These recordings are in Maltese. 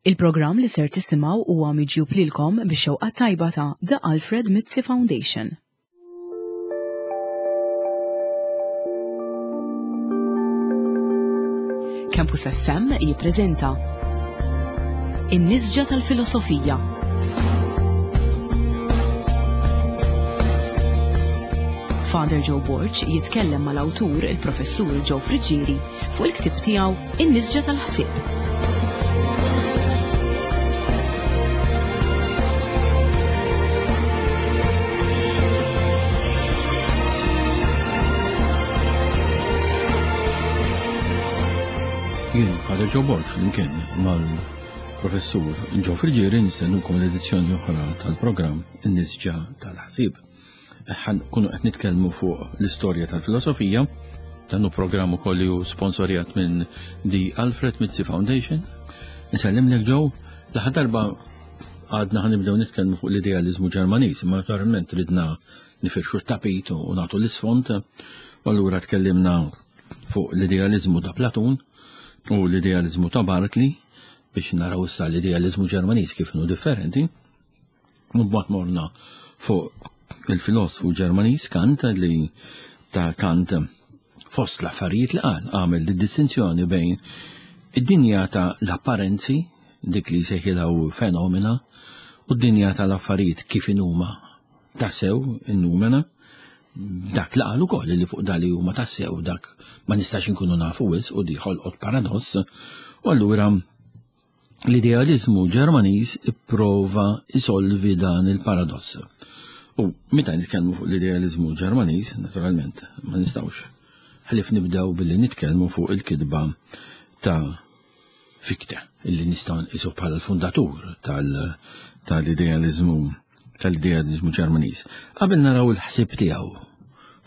Il-programm li ser tisimgħu huwa miġjub lilkom bix-xewqa tajba ta' The Alfred Mizzi Foundation. Campus FM jippreżenta In-Nisġa tal-Filosofija. Father Joe Borg jitkellem mal-awtur il-Professur Joe Friggieri fuq il-ktieb tiegħu In-nisġa tal-ħsieb. Jien Father Joe Borg flimkien mal-Professur Joe Friggieri nistennukom l-edizzjoni oħra tal-programm In-nisġa tal-ħsieb. Ħan kunu qed nitkellmu fuq l-istorja tal-filosofija. Dan hu programm ukoll li hu sponsorjat minn The Alfred Mizzi Foundation. Nsellimlek Joe, l-aħħar darba għadna ħan nibdew nitkellmu fuq l-idealiżmu Ġermaniż, imma naturalment ridna nifirxu t-tapit u nagħtu l-isfond. U allura tkellimna fuq l-idealiżmu ta' Platun u l-idealiżmu ta' Bartley biex naraw issa l-idealiżmu Ġermaniż kif inhu differenti. Mbagħad morna fuq il-filosfu Ġermaniż Kant li ta' Kant fost l-affarijiet li qal għamel di distinzjoni bejn id-dinja ta' l-apparenzi, dik li jsejħilha fenomena, u d-dinja tal-affarijiet kif inhuma tassew in-numena, dak li qal ukoll li fuq dali huma tassew dak ma nistax inkunu nafu wisq u di ħolqot paradoss, u allura L-idealiżmu Ġermaniż ipprova jsolvi dan il-paradoss. U meta nitkellmu fuq l-idealiżmu Ġermaniż, naturalment, ma nistgħux ħlief nibdew billi nitkellmu fuq il-kitba ta' Fichte, illi nistgħu nqisu bħala l-fundatur tal-idealiżmu tal-idealiżmu Ġermaniż. Qabel naraw il-ħsieb tiegħu,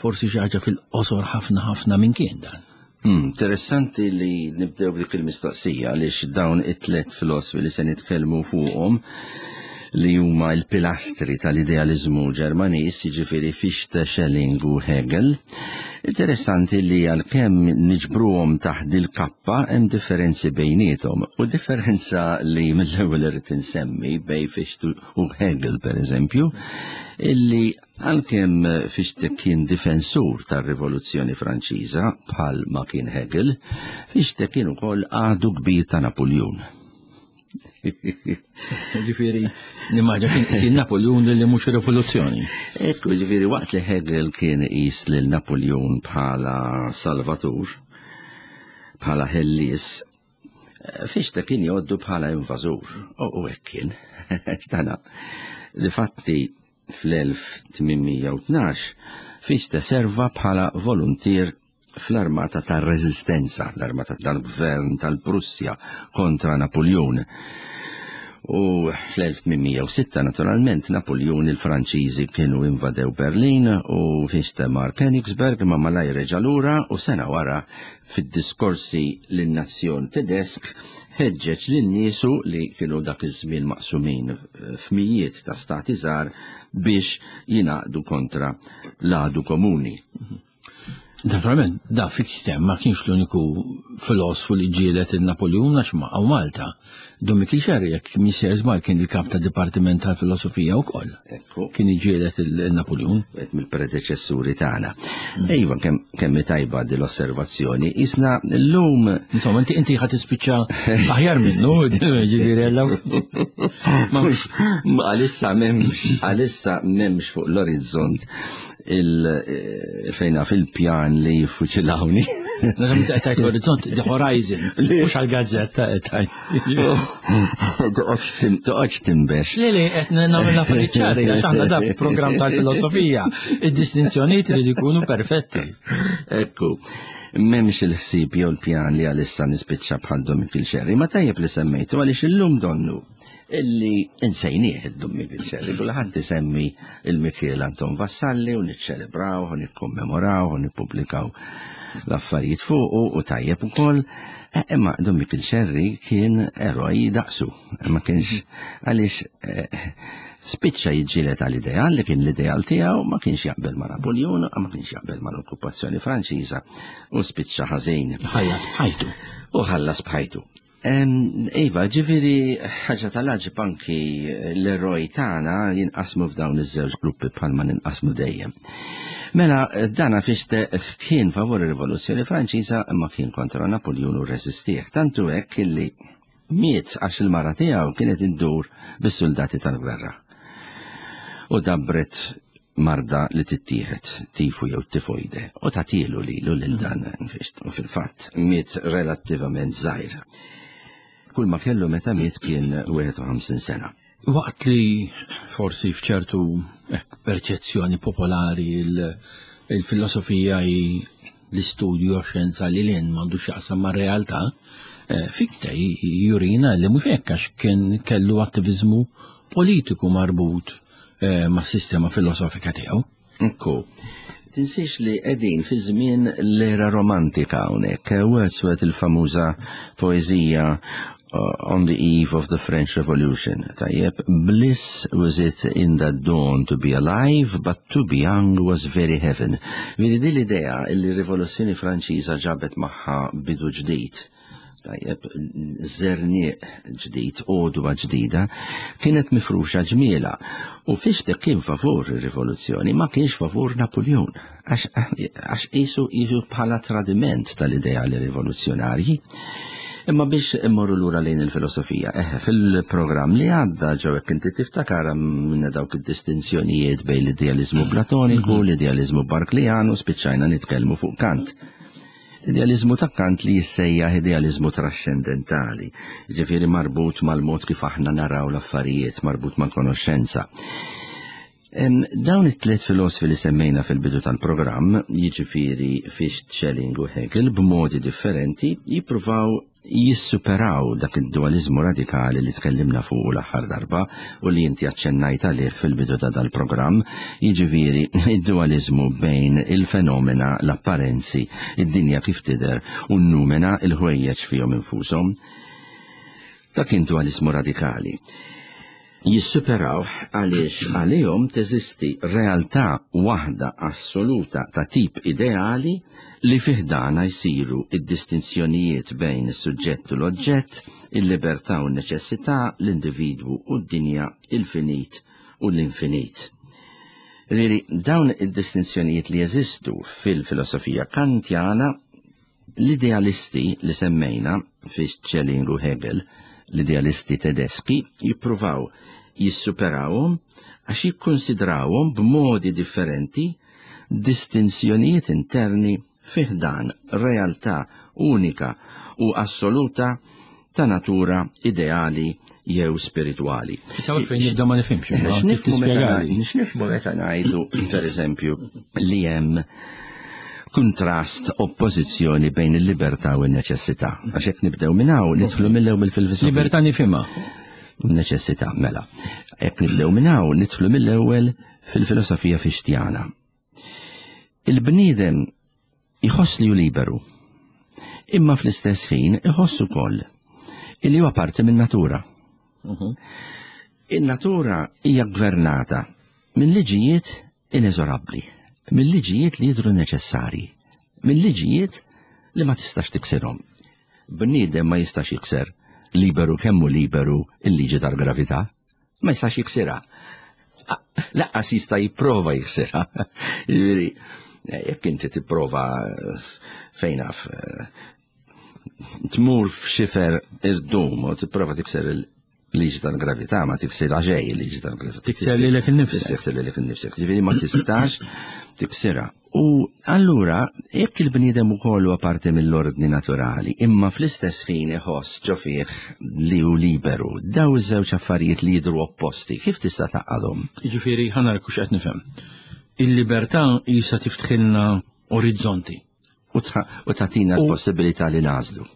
forsi xi ħaġa fil-qosor ħafna ħafna minn kien dan. Hmm, interessanti li nibdew dik il-mistoqsija għaliex dawn it-tlet filosfi li se nitkellmu fuqhom li huma l-pilastri tal-idealiżmu Ġermaniż, jiġifieri Fichte, Schelling u Hegel. Interessanti li għalkemm niġbruhom taħt il-kappa hemm differenzi bejniethom u differenza li mill-ewwel irrid insemmi bej Fichte u Hegel per eżempju, illi għalkemm Fichte kien difensur tar-Rivoluzzjoni Franċiża bħal ma kien Hegel, Fichte kien ukoll għadu kbir ta' Napoljun. Ġifieri, nimmaġa kien Napoljun li mhux rivoluzzjoni. Ekku, ġifieri waqt li Hegel kien qis lil Napoljun bħala salvatur, bħala ħellies, Fichte kien jgħoddu bħala invażur, u hekk kien. Tana, difatti fl-1812 Fichte serva bħala voluntier fl-armata tar-Reżistenza, l-armata tal-Gvern tal-Prussja kontra Napoljun. U fl-1806 naturalment Napoljun il-Franċiżi kienu invadew Berlin u Fichte mar Königsberg ma malajr reġa' lura u sena wara Fid-diskorsi lin-nazzjon Tedesk ħeġġeġ lil niesu li kienu dak iż-żmien maqsumin f'mijiet ta' stati żgħar biex jingħaqdu kontra l-għadu komuni. Naturalment, da Fichte ma kienx l-uniku filosfu li ġielet il-Napoljun għax ma għaw Malta. Dom Mikiel Xerri, jekk missier żball kien il-kap ta' Dipartiment tal-Filosofija wkoll. Kien iġielet il-Napoljun. Wieħed mill-predeċessuri tagħna. Mm. Iva, kemm tajba din l-osservazzjoni. Isna llum. Insomma, inti inti ħadd tispiċċa aħjar minnu, ġifieri Għalissa m'hemmx, għalissa m'hemmx fuq l-orizzont il fejna fil-pjan li jiffuċilawni. Tajt l-orizzont, the horizon, mux għal-gazzetta. Toqgħodx timbex. Le, le, qed nagħmel affarijiet ċari, għax aħna da programm tal-filosofija, id-distinzjonijiet li jkunu perfetti. Ekku, m'hemmx il-ħsieb jew l-pjan li għalissa nispiċċa bħal Dom Xerri, ma tajjeb li semmejtu għaliex illum donnu illi insejnieh id-Dom Mikiel Xerri, kulħadd isemmi il-Mikiel Anton Vassalli u niċċelebraw u nikkommemoraw u nippubblikaw l-affarijiet fuqu u tajjeb ukoll. Eh, imma Dom Mikiel Xerri kien eroj daqsu, ma kienx għaliex eh, spiċċa jiġġieled għal ideal li kien l-ideal tiegħu ma kienx jaqbel ma' Napoljun, ma kienx jaqbel ma' l-okkupazzjoni Franċiża u spiċċa ħażin. Ħallas bħajtu. U ħallas bħajtu. Iva, ġifiri ħaġa tal-ħġib anki l-eroj tagħna jinqasmu f'dawn iż-żewġ gruppi bħalma ninqasmu dejjem. Mela, dana Fichte kien favur ir-Rivoluzzjoni Franċiża imma kien kontra Napoljun u rreżistih. Tantu hekk illi miet għax il-mara tiegħu kienet iddur bis-soldati tal-gwerra. U dabbret marda li tittieħed, tifu jew tifoide, u tatilu lilu lil dan u fil-fatt miet relattivament żgħir. Kull ma kellu meta miet kien 51 sena. Waqt li forsi f'ċertu perċezzjoni popolari il-filosofija hi l-istudju xjenza li l m'għandu x'jaqsam mar-realtà, eh, Fichte jurina li mhux hekk għax kien kellu attiviżmu politiku marbut eh, mas-sistema filosofika tiegħu. Ekku. Tinsiex li qegħdin fi żmien l-era romantika hawnhekk. Wordsworth il-famuża poeżija On the Eve of the French Revolution. Tajjeb, bliss was it in that dawn to be alive, but to be young was very heaven. Vedi din l-idea li r-Rivoluzzjoni Franċiża ġabet magħha bidu ġdid tajjeb, żerniq ġdid, għodwa ġdida, kienet mifruxa ġmiela. U Fichte kien favur ir-rivoluzzjoni, ma kienx favur Napoleon, għax qisu qisu bħala tradiment tal-ideali rivoluzzjonarji. Imma biex immorru lura lejn il-filosofija, eħe, fil-programm li għadda ġew hekk inti tiftakar minna dawk id-distinzjonijiet bejn l-idealiżmu platoniku, mhm. l-idealiżmu Barklijan u spiċċajna nitkellmu fuq Kant. Idealiżmu ta' Kant li jissejjaħ idealiżmu traxxendentali, ġifieri marbut mal-mod kif aħna naraw l-affarijiet, marbut mal-konoxxenza. Dawn it-tliet filosfi li semmejna fil-bidu tal-programm, jiġifieri Fichte, Schelling u Hegel, b'modi differenti jippruvaw jissuperaw dak id-dualiżmu radikali li tkellimna fuqu l-aħħar darba u li inti aċċennajt għalih fil-bidu ta' dal-programm, jiġifieri id-dualiżmu bejn il-fenomena, l-apparenzi, id-dinja kif tidher u n-numena, il-ħwejjeġ fihom infushom. Dak kien dualiżmu radikali. Jissuperawh għaliex għalihom teżisti realtà waħda assoluta ta' tip ideali li fi ħdanha jsiru d-distinzjonijiet bejn is-suġġett u l-oġġett, il-libertà u n-neċessità, l-individwu u d-dinja, il-finit u l-infinit. Jiġifieri dawn id-distinzjonijiet li jeżistu fil-filosofija Kantjana L-idealisti li semmejna, Fichte, Schelling u Hegel, l-idealisti Tedeski, jippruvaw jissuperawhom għax jikkunsidrawhom b'modi differenti distinzjonijiet interni fi ħdan realtà unika u assoluta ta' natura ideali jew spiritwali. Issa fejn nibda ma nifhimx. X'nifhmu meta ngħidu, pereżempju, li hemm kuntrast oppożizzjoni bejn il-libertà u n-neċessità. Għax hekk nibdew minn hawn nidħlu mill-ewwel fil-filosofija. Libertà nifhimha. Neċessità, mela. Hekk nibdew minn hawn nidħlu mill-ewwel fil-filosofija Fixtjana. Il-bniedem iħoss li hu liberu, imma fl-istess ħin iħoss ukoll illi huwa parti min-natura. Mhm. In-natura hija gvernata minn liġijiet ineżorabbli, minn liġijiet li jidhru neċessarji, minn liġijiet li ma tistax tiksirhom. Bniedem ma jistax jikser liberu kemm hu liberu il-liġi tal-gravità. Ma jistax jiksirha. Laqqas jista' jipprova jiksirha. Jiġifieri, jekk inti tipprova fejn naf tmur f'xifer irdum u tipprova tikser il-liġi tal-gravità ma tiksirha xejn il-liġi tal-gravità. Tikser lilek innifsek. Tikser lilek innifsek. Ġifieri ma tistax tiksirha. U allura, jekk il-bniedem ukoll huwa parti mill-ordni naturali, imma fl-istess ħin iħoss ġo fih li hu liberu, daw iż-żewġ affarijiet li jidhru opposti, kif tista' tgħaqqadhom? Jiġifieri, ħa nara kux qed nifhem. Il-libertà qisha tiftħilna orizzonti. U tagħtina l-possibilità li nagħżlu.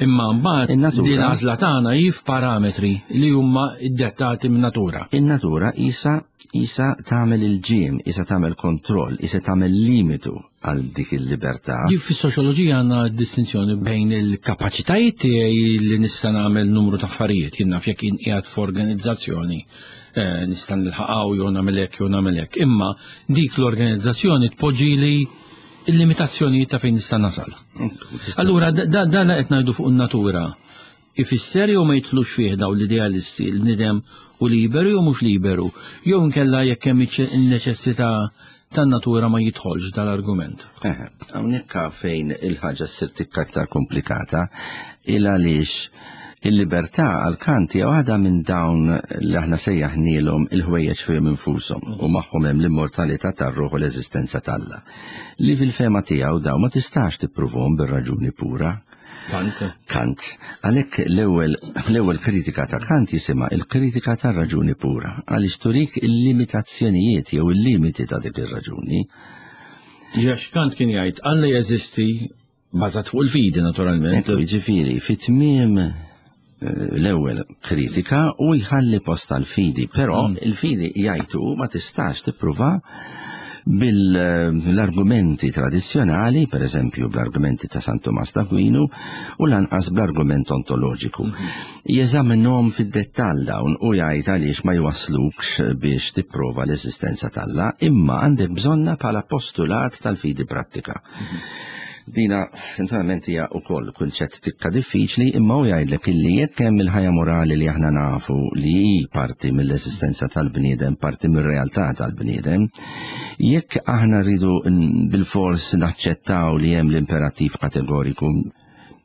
Imma mbagħad din l-għażla tagħna hi f'parametri li huma ddettati min-natura. In-natura qisha qisha tagħmel il-ġiem, qisha tagħmel kontroll, qisha tagħmel limitu għal dik il-libertà. Fis-soċjoloġija għandna distinzjoni bejn il-kapaċitajiet tiegħi li nista' nagħmel numru ta' affarijiet, jien naf jekk jien qiegħed f'organizzazzjoni eh, nista' nilħaqgħu jew nagħmel hekk jew nagħmel hekk. Imma dik l-organizzazzjoni tpoġġili il-limitazzjonijiet ta' fejn nista' nasal. Allura dan qed ngħidu fuq in-natura. Ifisser jew ma jidħlux fih dawn l-idealisti l-bniedem hu liberu jew mhux liberu, jew inkella jekk hemm in-neċessità tan-natura ma jidħolx dal-argument. Hawnhekk fejn il-ħaġa ssir tikka aktar komplikata il għaliex il-libertà għal Kant hija waħda minn dawn li aħna sejjaħnielhom il-ħwejjeġ fihom infushom u magħhom hemm l-immortalità tar-ruħ u l-eżistenza t'Alla. Li fil-fehma tiegħu dawn ma tistax tippruvhom bir-raġuni pura. Kant. Kant. Għalhekk l-ewwel l-ewwel kritika ta' Kant jisimha il-kritika tar-raġuni pura, għaliex turik il-limitazzjonijiet jew il-limiti ta' dik ir-raġuni. Għax Kant kien jgħid Alla jeżisti bażat fuq il-fidi naturalment. Jiġifieri fi tmiem eh, l-ewwel kritika u jħalli post tal-fidi, però mm. il-fidi jgħidu ma tistax tippruva bil-argumenti tradizzjonali, per eżempju bl-argumenti ta' San Tomas d'Aquinu, u lanqas bl-argument ontoloġiku. Mhm. Jeżaminhom fid-dettall dawn u jgħid għaliex ma jwasslukx biex tipprova l-eżistenza t'Alla, imma għandek bżonna bħala postulat tal-fidi prattika. Mhm. Dina sincerament hija wkoll kunċett tikka diffiċli imma hu jgħidlek illi jekk hemm il-ħajja morali li aħna nafu li hi parti mill-eżistenza tal-bniedem, parti mir-realtà tal-bniedem, jekk aħna rridu bilfors naċċettaw li hemm l-imperattiv kategoriku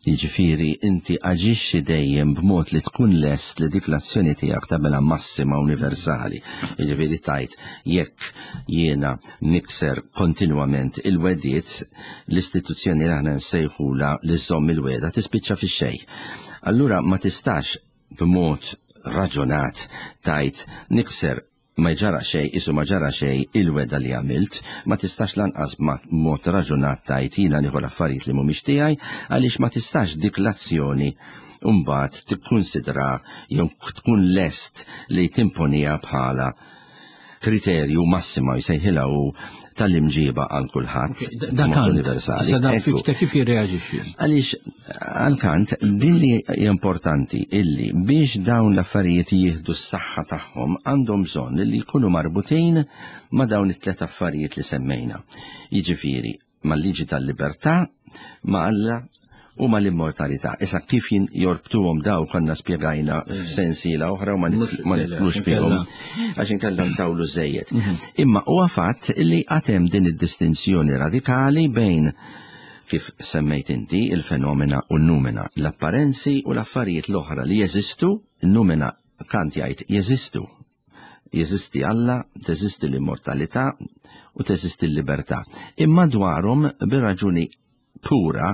Jiġifieri inti aġixxi dejjem b'mod li tkun lest li dik l-azzjoni tiegħek tagħmilha massima universali. Jiġifieri tgħid jekk jiena nikser kontinwament il-wegħdiet, l-istituzzjoni li aħna nsejħulha li żżomm il-wegħda tispiċċa fix-xejn. Allura ma tistax b'mod raġunat tgħid nikser ma ġara xejn, qisu ma ġara xejn il-wegħda li għamilt, ma tistax lanqas b'mod raġunat tgħid jiena nieħu l-affarijiet li mhumiex tiegħi għaliex ma tistax dik l-azzjoni mbagħad tikkunsidra jew tkun lest li timponiha bħala kriterju massima jsejħilha hu tal-imġiba għal kulħadd. Dak universali. Issa dan Fichte kif jirreaġixxi? Għaliex għal Kant din li importanti illi biex dawn l-affarijiet jieħdu s-saħħa tagħhom għandhom bżonn li jkunu marbutin ma' dawn it-tlet affarijiet li semmejna. Jiġifieri mal-liġi tal-libertà, ma' Alla u mal-immortalità. Issa kif jorbtuhom daw konna spjegajna f'sensiela oħra u ma nidħlux fihom għax inkella ntawlu żejjed. Mhm. Imma huwa fatt li għad hemm din id-distinzjoni radikali bejn kif semmejt inti il-fenomena u n-numena, l-apparenzi u l-affarijiet l-oħra li jeżistu, n-numena Kant jgħid jeżistu, Jeżisti Alla, teżisti l-immortalità u teżisti l-libertà. Imma dwarhom bir-raġuni pura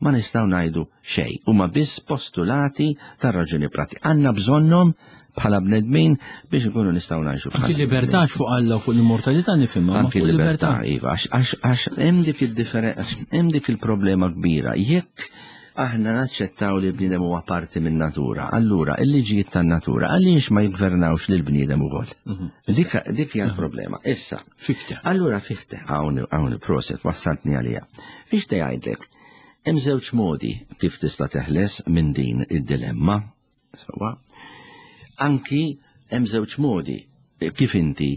ma nistgħu ngħidu xejn. Huma biss postulati tar-raġuni pratika. Għandna bżonnhom bħala bnedmin biex ikunu nistgħu ngħixu. Anki libertà fuq Alla u fuq l-immortalità nifhimha. Anki libertà, iva, għax hemm dik id-differenza, hemm dik il-problema kbira. Jekk aħna naċċettaw li l-bniedem huwa parti min-natura, allura il-liġijiet tan-natura għaliex ma jiggvernawx lill-bniedem ukoll? Mhm. Dik dik hija l-problema. Issa. Fichte. Allura Fichte, hawn hawn proset wassaltni għaliha. Fichte jgħidlek, hemm żewġ modi kif tista' teħles minn din id-dilemma. Sewwa. Anki hemm żewġ modi kif inti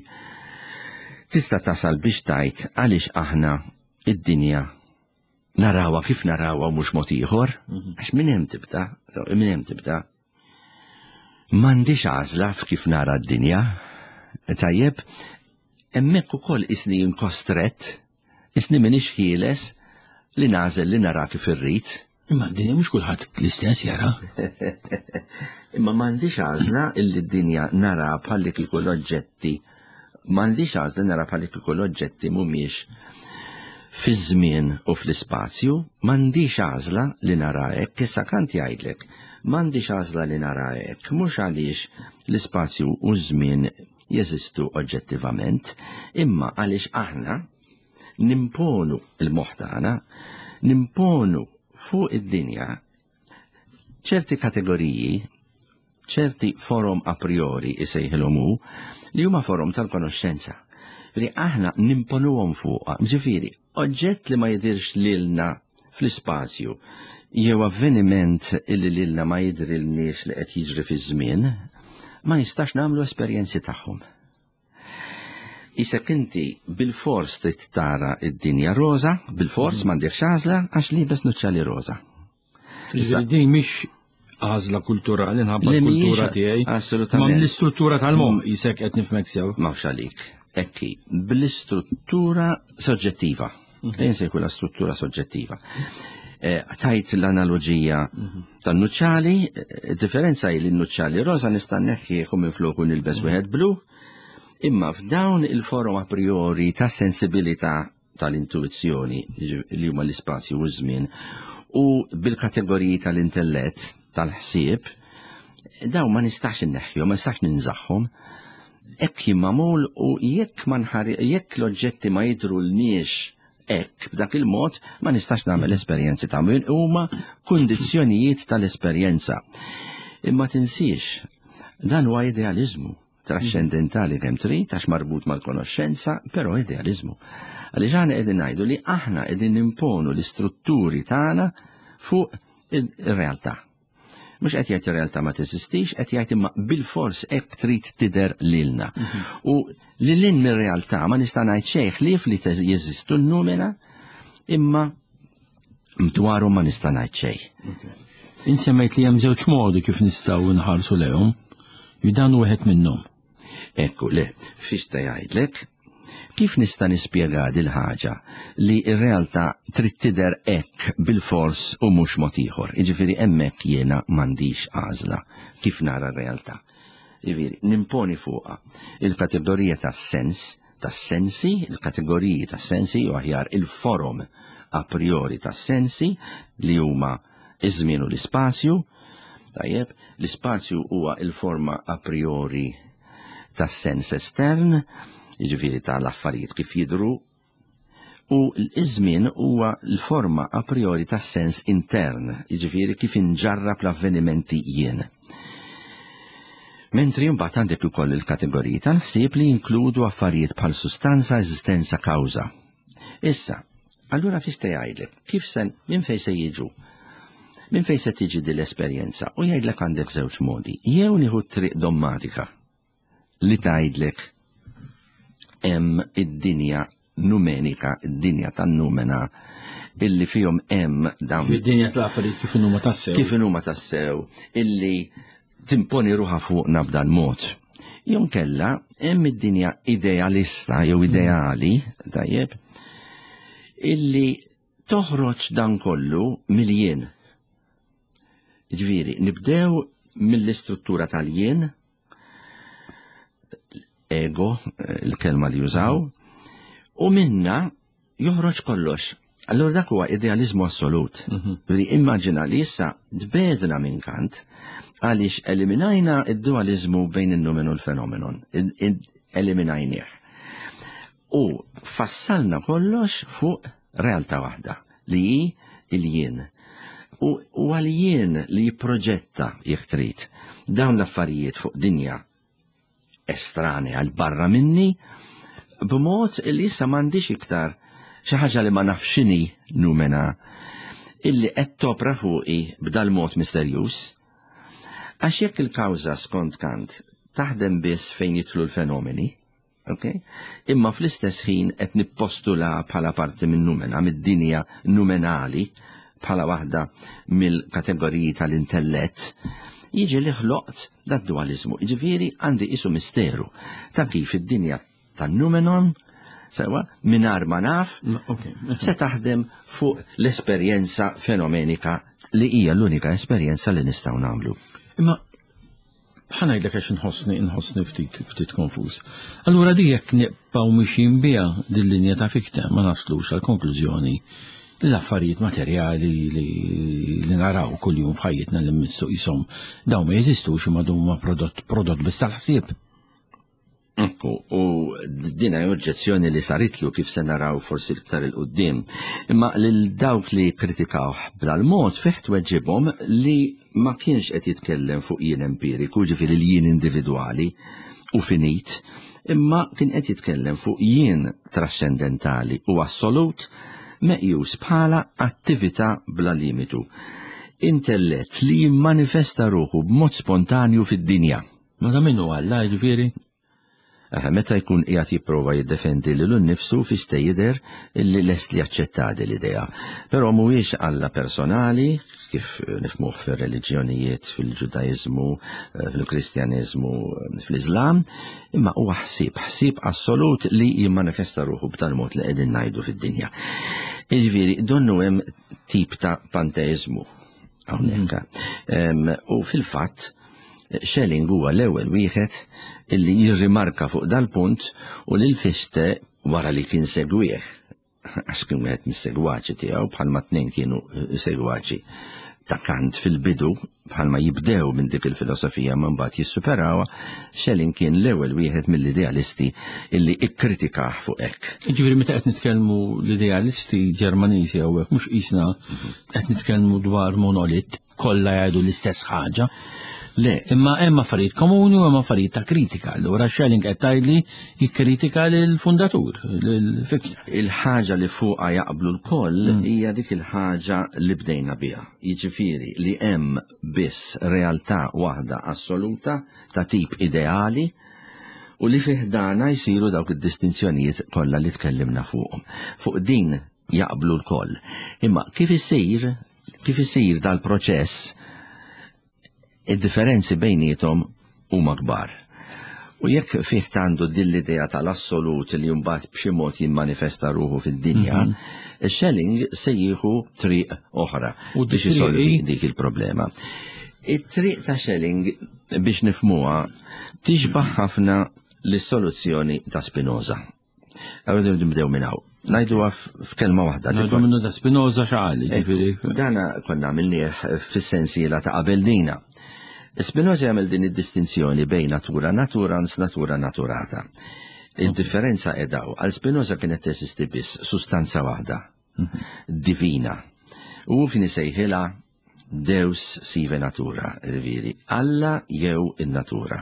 tista' tasal biex tgħid għaliex aħna id-dinja narawha kif narawha u mhux mod ieħor, mhm. għax minn hemm tibda, minn hemm tibda. M'għandix għażla f'kif nara d-dinja. Tajjeb, hemmhekk ukoll isni inkostret, isni m'iniex ħieles li nagħżel li nara kif irrid. Imma d-dinja mhux kulħadd l-istess jara. Imma m'għandix għażla illi d-dinja nara bħalli kieku l-oġġetti m'għandix għażla nara bħalli kieku l-oġġetti mhumiex fiż-żmien u fl-ispazju, m'għandix għażla li nara hekk, issa Kant jgħidlek, m'għandix għażla li nara hekk, mhux għaliex l-ispazju u ż-żmien jeżistu oġġettivament, imma għaliex aħna nimponu il-moħħ tagħna, nimponu fuq id-dinja ċerti kategoriji, ċerti forom a priori isejħilhom hu, li huma forom tal-konoxxenza. Li aħna nimponuhom fuqha, ġifieri, oġġett li ma jidirx lilna fl-ispazju jew avveniment illi lilna ma jidrilniex li qed jiġri fiż-żmien, ma nistax nagħmlu esperjenzi tagħhom. Isek inti bilfors trid tara id-dinja roża, bilfors mm. m'għandekx għażla għax liebes nuċċali roża. Issa din mhix għażla kulturali nħabba l-kultura tiegħi. Assolutament. Ma l-istruttura tal-moħħ mm. jisek qed nifhmek sew. M'hawnx għalik. Ekki, bl-istruttura soġġettiva. Mhm. Ejn se jkun struttura soġġettiva. Eh, tajt l-analogija mhm. tan-nuċċali, eh, differenza hi li n-nuċċali rosa nista' neħħieħu minn floku nilbes mhm. wieħed blu, imma f'dawn il-forum a priori ta' sensibilità tal-intuizzjoni li huma l-ispazju u ż-żmien u bil-kategoriji tal-intellett, tal-ħsieb, daw ma nistax inneħħihom, ma nistax ninżaħħom. Hekk jien magħmul u jekk ma jekk l-oġġetti ma jidhrulniex hekk b'dak il-mod ma nistax nagħmel esperjenzi ta' min huma kundizzjonijiet tal-esperjenza. Imma tinsiex, dan huwa idealiżmu trascendentali kemm trid għax marbut mal-konoxxenza, però idealiżmu. Għaliex aħna qegħdin ngħidu li aħna qegħdin nimponu l-istrutturi tagħna fuq ir-realtà. Mhux qed jgħid ir-realtà ma teżistix, qed jgħid imma bil-fors hekk trid tidher lilna. Mhm. U li lin mir-realtà ma nista' ngħid xejn ħlief li jeżistu n-numena imma dwaru ma nista' ngħid xejn. Int semmejt li hemm żewġ modi kif nistgħu nħarsu lehom, dan wieħed minnhom. Ekku, le, fiex ta' jgħidlek, kif nista' nispjega dil ħaġa li r-realtà trid tidher hekk bil-fors u mhux mod ieħor. Jiġifieri hemmhekk jiena m'għandix għażla kif nara r-realtà. Jiġifieri nimponi fuqha il-kategorija tas-sens, tas-sensi, il-kategoriji tas-sensi u aħjar il-forom a priori tas-sensi li huma iż-żmien u l-ispazju. Tajjeb, l-ispazju huwa il-forma a priori tas-sens estern, jiġifieri tal-affarijiet kif jidhru, u l-iżmien huwa l-forma a priori tas-sens intern, jiġifieri kif inġarrab l-avvenimenti jien. Mentri mbagħad għandek ukoll il-kategoriji tal-ħsieb li jinkludu affarijiet bħal sustanza, eżistenza, kawża. Issa, allura fiex te jgħidlek, kif se minn fejn se jiġu? Minn fejn se tiġi din l-esperjenza? U jgħidlek għandek żewġ modi. Jew nieħu triq dommatika li tgħidlek hemm id-dinja numenika, id-dinja tan-numena illi fihom hemm dawn. Id-dinja tal-affarijiet kif inhuma tassew. Kif inhuma tassew, illi timponi ruħha fuqna b'dan mod. Jew kella hemm id-dinja idealista jew ideali, tajjeb, illi toħroġ dan kollu mill-jien. Ġifieri, nibdew mill-istruttura tal-jien, ego, il-kelma li jużaw, u minna joħroġ kollox. Allura dak huwa idealizmu assolut. Mhm. Li immaġina li issa tbedna minn Kant għaliex eliminajna id-dualizmu bejn in-numen u l-fenomenon. Eliminajnieh. U fassalna kollox fuq realtà waħda li hi il-jien. U għal-jien li jipproġetta jekk trid dawn l-affarijiet fuq dinja estranea għal barra minni b'mod li issa m'għandix iktar xi ħaġa li ma nafx x'inhi numena illi qed topra fuqi b'dal mod misterjuż. Għax jekk il-kawża skont Kant taħdem biss fejn jidħlu l-fenomeni, okay? Imma fl-istess ħin qed nippostula bħala parti minn numena, mid-dinja numenali, bħala waħda mill-kategoriji tal-intellett, jiġi li ħloqt dat dualizmu. Jiġifieri għandi isu misteru ta' kif id-dinja tan-numenon sewa mingħajr ma naf se taħdem fuq l-esperjenza fenomenika li hija l-unika esperjenza li nistgħu nagħmlu. Imma Ħa ngħidlek għax inħossni inħossni ftit ftit konfuż. Allura di jekk nibqgħu mixjin biha din linja ta' Fichte ma naslux għal konklużjoni li l-affarijiet materjali li, li naraw kuljum f'ħajjitna li mmissu qishom dawn ma jeżistux imma huma prodott prodott biss tal-ħsieb. Ekku, u din hi oġġezzjoni li saritlu kif se naraw forsi iktar il-qudiem. Imma lil dawk li kkritikawh b'dal-mod fih tweġibhom li ma kienx qed jitkellem fuq jien empiriku, ġifieri l-jien individwali u finit, imma kien qed jitkellem fuq jien trascendentali u assolut meqjus bħala attività bla limitu. Intellett li jimmanifesta ruħu b'mod spontanju fid-dinja. Ma ta' minnu Alla, jiġifieri? Meta jkun qiegħed jipprova jiddefendi lilu nnifsu Fichte jidher illi lest li jaċċetta din l-idea. Però mhuwiex Alla personali, kif nifhmuh fir-reliġjonijiet, fil-Ġudaiżmu, fil-Kristjaneżmu, fl-Iżlam, imma huwa ħsieb, ħsieb assolut li jimmanifesta ruħu b'tal-mod li qegħdin ngħidu fid-dinja. Jiġifieri donnu hemm tip ta' panteiżmu hawnhekk. U fil-fatt Schelling huwa l-ewwel wieħed illi jirrimarka fuq dal-punt u lil Fichte wara li kien segwih, għax kien wieħed mis-segwaċi tiegħu bħalma tnejn kienu segwaċi ta' Kant fil-bidu, bħalma jibdew minn dik il-filosofija ma mbagħad jissuperawha, Schelling kien l-ewwel wieħed mill-idealisti illi ikkritikah fuq hekk. Jiġifieri meta qed nitkellmu l-idealisti Ġermaniżi hawnhekk mhux qisna qed nitkellmu dwar monolit kollha jgħidu l-istess ħaġa. Le. Imma hemm affarijiet komuni u hemm affarijiet ta' kritika. Allura Schelling qed tgħidli jikkritika lill-fundatur, lil Fichte. Il-ħaġa li fuqha jaqblu lkoll hija dik il-ħaġa li bdejna biha. Jiġifieri li hemm biss realtà waħda assoluta ta' tip ideali u li fi ħdanha jsiru dawk id-distinzjonijiet kollha li tkellimna fuqhom. Fuq din jaqblu lkoll. Imma kif isir, kif isir dal-proċess, id-differenzi bejniethom huma kbar. U jekk fih għandu din l-idea tal-assolut li mbagħad b'xi mod jimmanifesta ruħu fid-dinja, Schelling se jieħu triq oħra U biex dik isolvi triq dik il-problema. It-triq ta' Schelling biex nifhmuha tixbaħ ħafna lis-soluzzjoni ta' Spinoza. Għawdu nibdew minn hawn. Ngħiduha f'kelma waħda. Ngħidu minnu ta' Spinoza x'qal, jiġifieri. Dana konna għamilnieh fis-sensiela ta' qabel dina. Spinoza jagħmel din id-distinzjoni bejn natura naturans, natura naturata. Il-differenza edaw, għal Spinoza kienet teżisti biss sustanza waħda, divina. U kien isejħilha Deus sive natura, jiġifieri, Alla jew in-natura.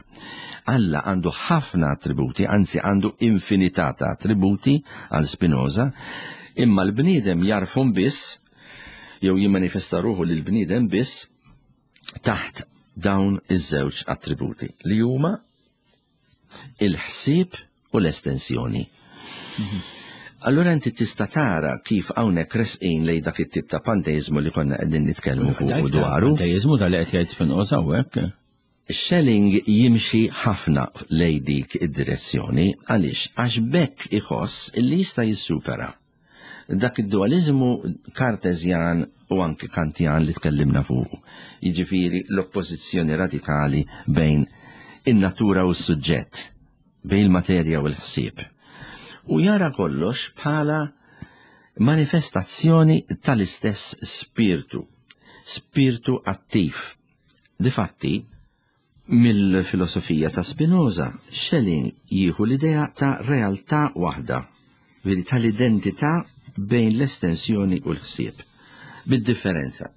Alla għandu ħafna attributi, anzi għandu infinità ta' attributi għal Spinoza, imma l-bniedem jarfhom biss, jew jimmanifesta ruħu lil bniedem biss taħt dawn iż-żewġ attributi li huma il-ħsieb u l-estensjoni. Allura inti tista' tara kif hawnhekk resqin lejn dak it-tip ta' panteizmu li konna qegħdin nitkellmu fuq dwaru. Panteizmu dal qed jgħid Spinoza hawnhekk. Schelling jimxi ħafna lej dik id-direzzjoni għaliex għax bekk iħoss li jista' jissupera dak id-dualizmu kartezjan u anki kantjan li tkellimna fuq. Jiġifieri l-oppożizzjoni radikali bejn in-natura u s-suġġett, bejn il-materja u l-ħsieb. U jara kollox bħala manifestazzjoni tal-istess spirtu, spirtu attiv. Difatti, mill-filosofija ta' Spinoza, Schelling jieħu l-idea ta' realtà waħda, veri tal-identità bejn l-estensjoni u l-ħsieb. Bid-differenza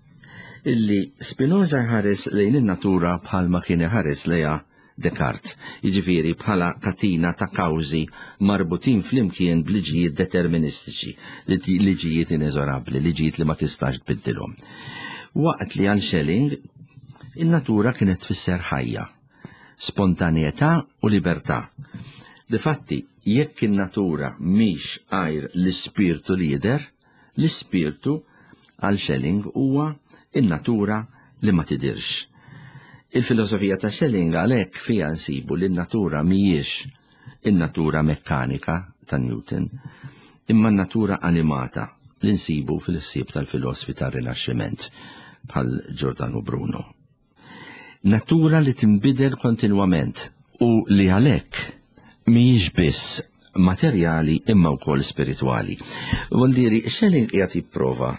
illi Spinoza jħares lejn in-natura bħalma kien iħares lejha Descartes, jiġifieri bħala katina ta' kawżi marbutin flimkien b'liġijiet deterministiċi, liġijiet ineżorabbli, liġijiet li ma tistax tbiddilhom. Waqt li għal Schelling, in-natura kienet tfisser ħajja, spontanjetà u libertà. Difatti, jekk in-natura mhix għajr l-ispirtu li jidher, l-ispirtu għal Schelling huwa in-natura li ma tidirx. Il-filosofija ta' Schelling għalhekk fiha nsibu li n-natura mhijiex in-natura mekkanika ta' Newton, imma n-natura animata li nsibu fil-ħsieb tal-filosofi tar-Rinaxximent bħal Giordano Bruno. Natura li tinbidel kontinwament u li għalhekk mhijiex biss materjali imma wkoll spiritwali. Vuol Schelling qiegħed jipprova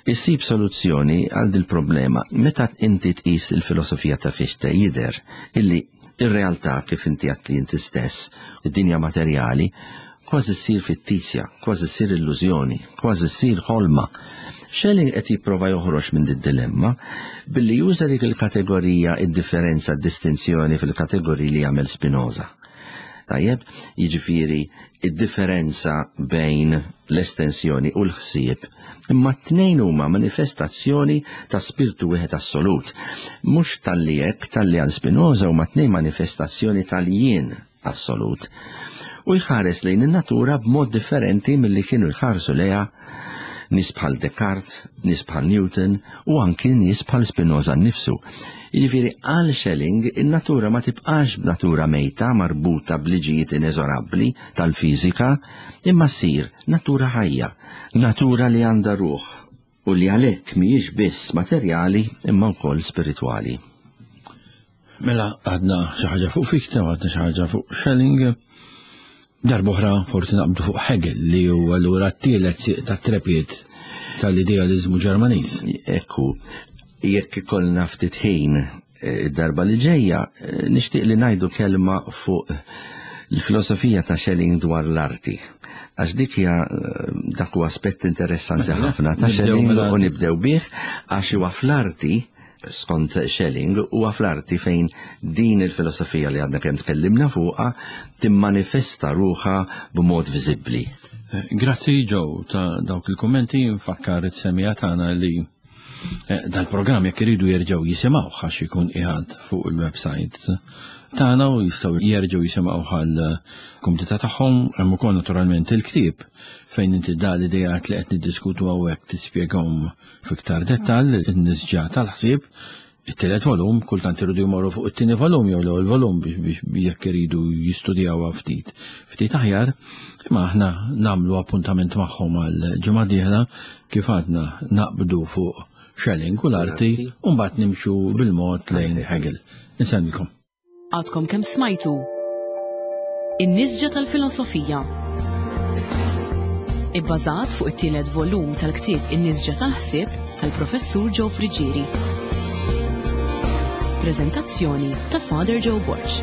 Issib soluzzjoni għal dil problema meta inti tqis il-filosofija ta' Fichte jidher illi ir-realtà kif inti għedt li inti stess, id-dinja materjali, kważi ssir fittizja, kważi ssir illużjoni, kważi ssir ħolma. Schelling qed jipprova joħroġ minn did-dilemma billi juża dik il-kategorija id-differenza distinzjoni fil-kategoriji li jagħmel Spinoza. Tajjeb, jiġifieri id-differenza bejn l-estensjoni u l-ħsieb, imma t-tnejn huma manifestazzjoni ta' spirtu wieħed assolut. Mhux talli hekk, talli għal Spinoza huma tnejn manifestazzjoni tal-jien. assolut. U jħares lejn in-natura b'mod differenti milli kienu jħarsu lejha nies bħal Descartes, nies bħal Newton u anki nies bħal Spinoza nnifsu. Jiġifieri għal Schelling in-natura ma tibqax b'natura mejta marbuta b'liġijiet ineżorabbli tal-fiżika, imma ssir natura ħajja, natura li għandha ruħ u li għalhekk mhijiex biss materjali imma wkoll spiritwali. Mela għadna xi ħaġa fuq Fichte u għadna xi ħaġa fuq Schelling. Darb'oħra forsi naqbdu fuq Hegel li huwa allura t-tielet sieq tat-trepied tal-idealiżmu Ġermaniż. Ekku, jekk ikollna ftit ħin eh, id-darba li ġejja, eh, nixtieq li ngħidu kelma fuq l-filosofija ta' Schelling dwar l-arti. Għax dik hija eh, dak huwa aspett interessanti mela, ħafna ta' Schelling mela u nibdew bih għax huwa fl-arti skont Schelling, huwa fl-arti fejn din il-filosofija li għadna kemm tkellimna fuqha timmanifesta ruħha b'mod viżibbli. Eh, grazzi Joe ta' dawk il-kommenti, nfakkar it-semija tagħna li eh, dal-programm jekk iridu jerġgħu jisimgħu għax ikun qiegħed fuq il-website tagħna u jistgħu jerġgħu jisimgħu għal kumdità tagħhom hemm ukoll naturalment il-ktieb fejn inti da l-idejat li qed niddiskutu hawnhekk tispjegahom F'iktar dettall, in-nisġa tal-ħsieb, it-tielet volum, kultant iridu jmorru fuq it-tieni volum jew l-ewwel volum biex jekk iridu jistudjawha ftit ftit aħjar, imma aħna nagħmlu appuntament magħhom għal ġimgħa dieħla kif għadna naqbdu fuq Schelling u l-arti u mbagħad nimxu bil-mod lejn Hegel. Insellmilkom. Għadkom kemm smajtu In-Nisġa tal-Filosofija. Ibbażat fuq it-tielet volum tal-ktieb In-Nisġa tal-Ħsieb tal-Professur Joe Friggieri. Preżentazzjoni ta' Father Joe Borg.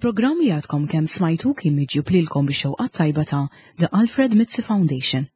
Il-programm li għadkom kemm smajtu kien miġjub lilkom bix-xewqat tajba ta' The Alfred Mizzi Foundation.